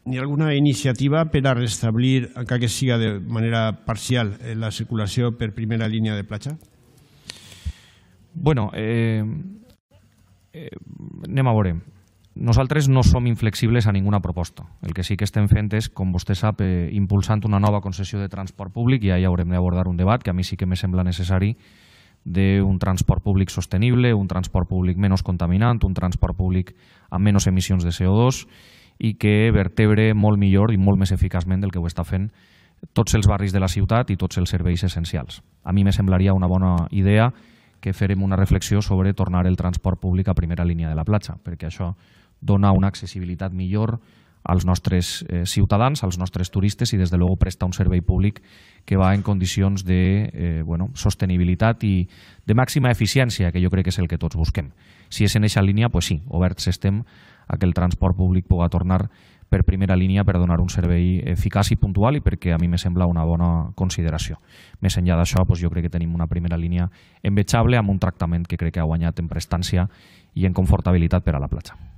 Hi ha alguna iniciativa per a restablir, encara que siga de manera parcial, la circulació per primera línia de platja? Bueno, anem a veure. Nosaltres no som inflexibles a ninguna proposta. El que sí que estem fent és, com vostè sap, impulsant una nova concessió de transport públic, i ja haurem d'abordar un debat que a mi sí que me sembla necessari, d'un transport públic sostenible, un transport públic menys contaminant, un transport públic amb menys emissions de CO2 i que vertebre molt millor i molt més eficaçment del que ho està fent tots els barris de la ciutat i tots els serveis essencials. A mi me semblaria una bona idea que farem una reflexió sobre tornar el transport públic a primera línia de la platja, perquè això dona una accessibilitat millor als nostres ciutadans, als nostres turistes i, des de luego, presta un servei públic que va en condicions de sostenibilitat i de màxima eficiència, que jo crec que és el que tots busquem. Si és en aquesta línia, doncs sí, oberts estem a que el transport públic pugui tornar per primera línia per donar un servei eficaç i puntual i perquè a mi me sembla una bona consideració. Més enllà d'això, jo crec que tenim una primera línia envejable amb un tractament que crec que ha guanyat en prestància i en confortabilitat per a la platja.